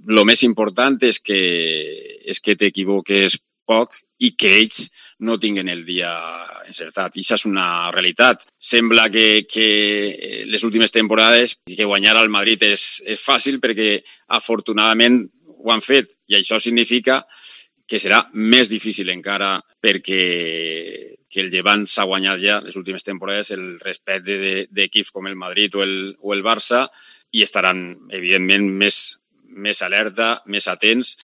el més important és que t'equivoques poc i que ells no tinguen el dia encertat. I això és una realitat. Sembla que les últimes temporades que guanyar al Madrid és fàcil perquè afortunadament ho han fet i això significa que serà més difícil encara perquè el Llevant s'ha guanyat ja les últimes temporades el respecte d'equips com el Madrid o el Barça i estaran, evidentment, més alerta, més atents